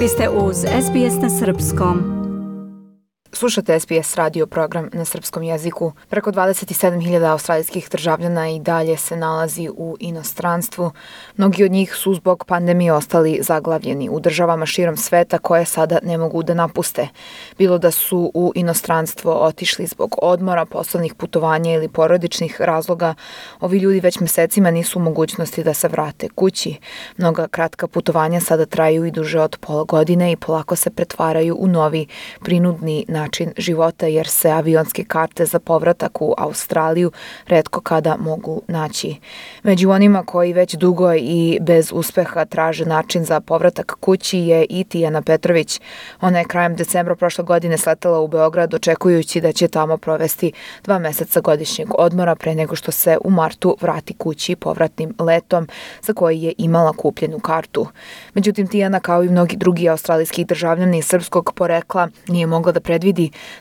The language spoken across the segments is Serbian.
Vi ste uz SBS na Srpskom. Slušate SBS radio program na srpskom jeziku. Preko 27.000 australijskih državljana i dalje se nalazi u inostranstvu. Mnogi od njih su zbog pandemije ostali zaglavljeni u državama širom sveta koje sada ne mogu da napuste. Bilo da su u inostranstvo otišli zbog odmora, poslovnih putovanja ili porodičnih razloga, ovi ljudi već mesecima nisu u mogućnosti da se vrate kući. Mnoga kratka putovanja sada traju i duže od pola godine i polako se pretvaraju u novi prinudni način života jer se avionske karte za povratak u Australiju retko kada mogu naći. Među onima koji već dugo i bez uspeha traže način za povratak kući je i Tijana Petrović. Ona je krajem decembra prošle godine sletela u Beograd očekujući da će tamo provesti 2 meseca godišnjeg odmora pre nego što se u martu vrati kući povratnim letom za koji je imala kupljenu kartu. Međutim, Tijana kao i mnogi drugi australijski državljani srpskog porekla nije mogla da predvidi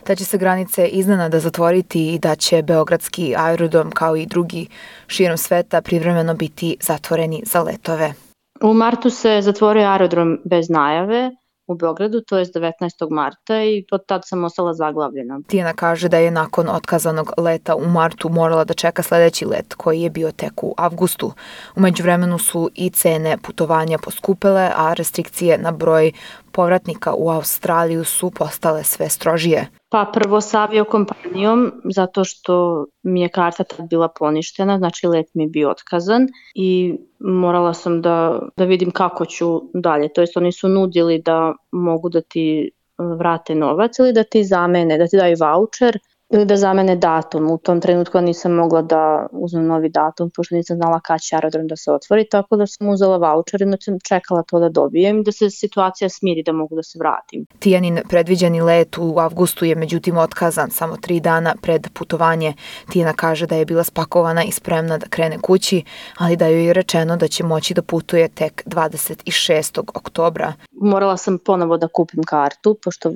da će se granice iznenada zatvoriti i da će beogradski aerodrom kao i drugi širom sveta privremeno biti zatvoreni za letove. U martu se zatvorio aerodrom bez najave u Beogradu, to je 19. marta i od tad sam ostala zaglavljena. Tijana kaže da je nakon otkazanog leta u martu morala da čeka sledeći let koji je bio tek u avgustu. U međuvremenu su i cene putovanja poskupele, a restrikcije na broj povratnika u Australiju su postale sve strožije. Pa prvo sa aviokompanijom, zato što mi je karta tad bila poništena, znači let mi je bio otkazan i morala sam da vidim kako ću dalje. To jest oni su nudili da mogu da ti vrate novac ili da ti zamene, da ti daju vaučer ili da zamene datum. U tom trenutku nisam mogla da uzmem novi datum, pošto nisam znala kada će aerodrom da se otvori, tako da sam uzela vaučer i sam čekala to da dobijem i da se situacija smiri da mogu da se vratim. Tijanin predviđeni let u avgustu je međutim otkazan samo 3 dana pred putovanje. Tijana kaže da je bila spakovana i spremna da krene kući, ali da joj je rečeno da će moći da putuje tek 26. oktobra. Morala sam ponovo da kupim kartu, pošto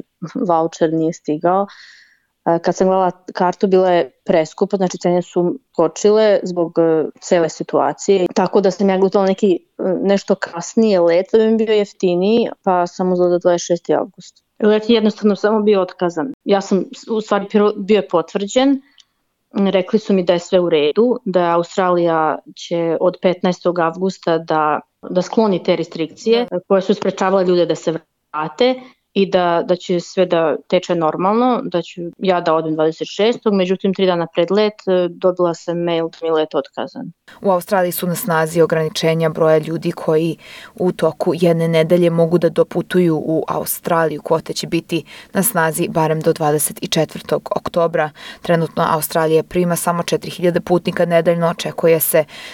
vaučer nije stigao. Kad sam gledala kartu, bila je preskupa, znači cene su skočile zbog cele situacije. Tako da sam ja gledala nešto kasnije let, da bi mi bio jeftiniji, pa sam uzela 26. avgust. Let je jednostavno samo bio otkazan. Ja sam, u stvari, bio je potvrđen. Rekli su mi da je sve u redu, da Australija će od 15. avgusta da skloni te restrikcije koje su sprečavale ljude da se vrate i da će sve da teče normalno, da ću ja da odem 26. Međutim, 3 dana pred let dobila sam mail da mi je let otkazan. U Australiji su na snazi ograničenja broja ljudi koji u toku jedne nedelje mogu da doputuju u Australiju. Kvote će biti na snazi barem do 24. oktobra. Trenutno Australija prima samo 4.000 putnika nedeljno.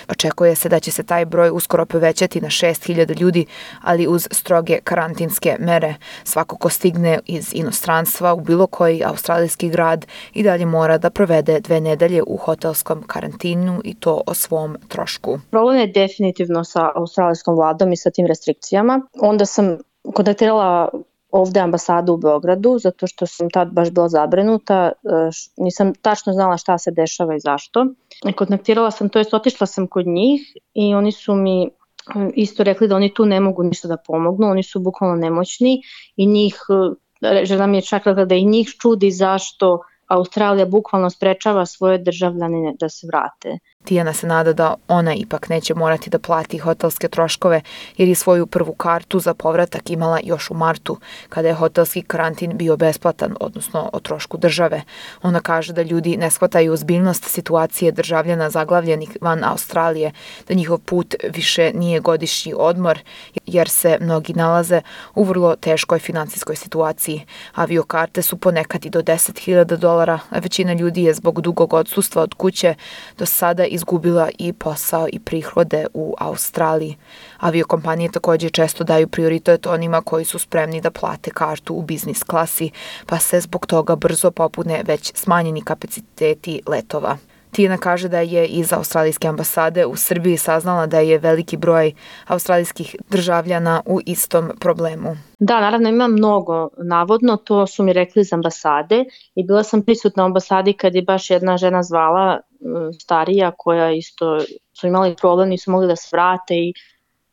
Očekuje se da će se taj broj uskoro povećati na 6.000 ljudi, ali uz stroge karantinske mere. Svako ko stigne iz inostranstva u bilo koji australijski grad i dalje mora da provede 2 nedelje u hotelskom karantinu i to o svom trošku. Problem je definitivno sa australijskom vladom i sa tim restrikcijama. Onda sam kontaktirala ovde ambasadu u Beogradu, zato što sam tad baš bila zabrinuta, nisam tačno znala šta se dešava i zašto. Kontaktirala sam, to jest otišla sam kod njih i oni su mi isto rekli da oni tu ne mogu ništa da pomognu, oni su bukvalno nemoćni i žena mi je čak rekla da i njih čudi zašto Australija bukvalno sprečava svoje državljane da se vrate. Tijana se nada da ona ipak neće morati da plati hotelske troškove jer je svoju prvu kartu za povratak imala još u martu, kada je hotelski karantin bio besplatan, odnosno o trošku države. Ona kaže da ljudi ne shvataju ozbiljnost situacije državljana zaglavljenih van Australije, da njihov put više nije godišnji odmor jer se mnogi nalaze u vrlo teškoj finansijskoj situaciji. Aviokarte su ponekad i do $10.000, a većina ljudi je zbog dugog odsustva od kuće do sada izgubila i posao i prihode u Australiji. Aviokompanije također često daju prioritet onima koji su spremni da plate kartu u biznis klasi, pa se zbog toga brzo popune već smanjeni kapaciteti letova. Tijana kaže da je iz australijske ambasade u Srbiji saznala da je veliki broj australijskih državljana u istom problemu. Da, naravno ima mnogo, navodno, to su mi rekli iz ambasade i bila sam prisutna u ambasadi kad je baš jedna žena zvala, starija, koja isto su imali problem, nisu mogli da se vrate i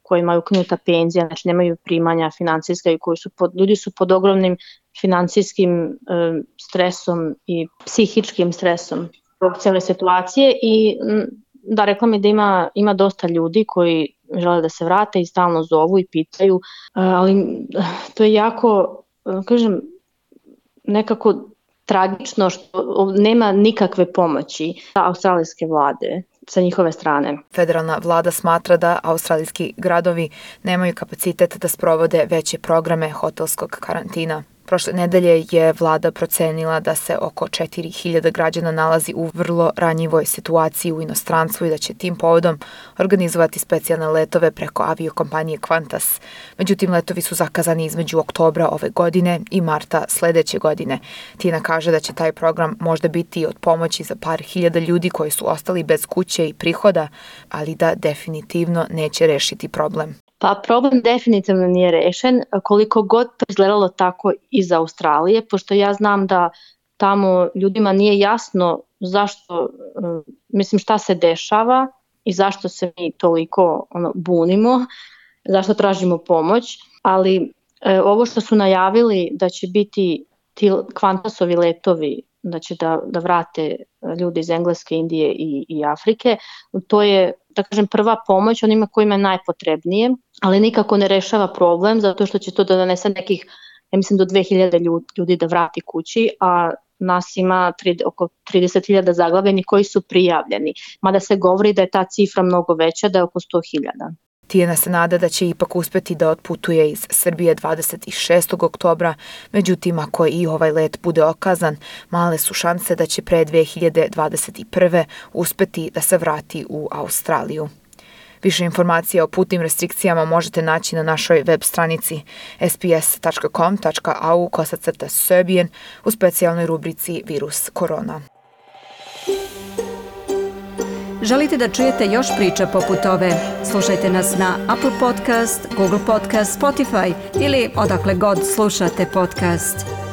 koji imaju ukinuta penzija, znači nemaju primanja financijska i ljudi su pod ogromnim financijskim stresom i psihičkim stresom zbog cijele situacije i da, rekla mi da ima dosta ljudi koji žele da se vrate i stalno zovu i pitaju, ali to je jako, kažem, nekako tragično što nema nikakve pomoći australijske vlade sa njihove strane. Federalna vlada smatra da australijski gradovi nemaju kapacitet da sprovode veće programe hotelskog karantina. Prošle nedelje je vlada procenila da se oko 4.000 građana nalazi u vrlo ranjivoj situaciji u inostranstvu i da će tim povodom organizovati specijalne letove preko aviokompanije Qantas. Međutim, letovi su zakazani između oktobra ove godine i marta sledeće godine. Tina kaže da će taj program možda biti od pomoći za par hiljada ljudi koji su ostali bez kuće i prihoda, ali da definitivno neće rešiti problem. Pa problem definitivno nije rešen, koliko god to izgledalo tako iz Australije, pošto ja znam da tamo ljudima nije jasno zašto, šta se dešava i zašto se mi toliko bunimo, zašto tražimo pomoć, ali ovo što su najavili da će biti ti Qantasovi letovi, da će da vrate ljude iz Engleske, Indije i Afrike, to je, da kažem, prva pomoć onima kojima je najpotrebnije, ali nikako ne rešava problem zato što će to da donese nekih, ja mislim, do 2000 ljudi da vrati kući, a nas ima oko 30.000 zaglavljenih koji su prijavljeni, mada se govori da je ta cifra mnogo veća, da je oko 100.000. Tijana se nada da će ipak uspeti da otputuje iz Srbije 26. oktobra, međutim ako i ovaj let bude okazan, male su šanse da će pre 2021. uspeti da se vrati u Australiju. Više informacija o putnim restrikcijama možete naći na našoj web stranici sbs.com.au/Serbian u specijalnoj rubrici Virus korona. Želite da čujete još priča poput ove? Slušajte nas na Apple Podcast, Google Podcast, Spotify ili odakle god slušate podcast.